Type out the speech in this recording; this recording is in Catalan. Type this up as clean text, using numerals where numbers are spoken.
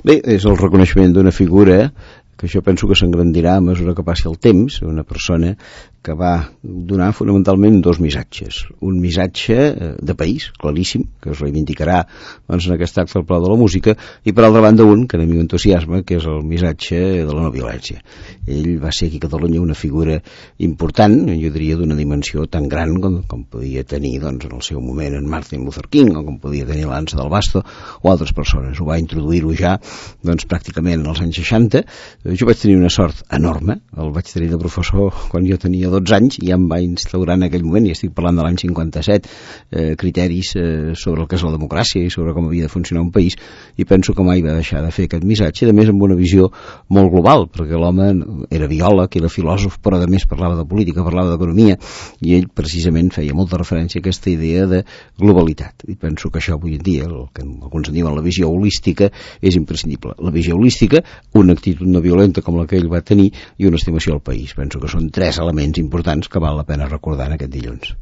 Bé, és el reconeixement d'una figura que jo penso que s'engrandirà a mesura que passi el temps, una persona que va donar fonamentalment dos missatges. Un missatge de país, claríssim, que es reivindicarà doncs, en aquest acte del Palau de la Música, i per altra banda un que a mi m'entusiasma, que és el missatge de la no violència. Ell va ser aquí a Catalunya una figura important, jo diria d'una dimensió tan gran com podia tenir doncs, en el seu moment en Martin Luther King, o com podia tenir l'Ansa del Basto, o altres persones. Ho va introduir-ho ja doncs, pràcticament als anys 60. Jo vaig tenir una sort enorme, el vaig tenir de professor quan jo tenia 12 anys, i ja em va instaurar en aquell moment, i estic parlant de l'any 57, criteris sobre el que és la democràcia i sobre com havia de funcionar un país, i penso que mai va deixar de fer aquest missatge, a més amb una visió molt global, perquè l'home era biòleg, era filòsof, però a més parlava de política, parlava d'economia, i ell precisament feia molta referència a aquesta idea de globalitat, i penso que això avui en dia, el que alguns en diuen la visió holística, és imprescindible. La visió holística, una actitud no violenta com la que ell va tenir, i una estimació al país. Penso que són tres elements importants que val la pena recordar en aquest dilluns.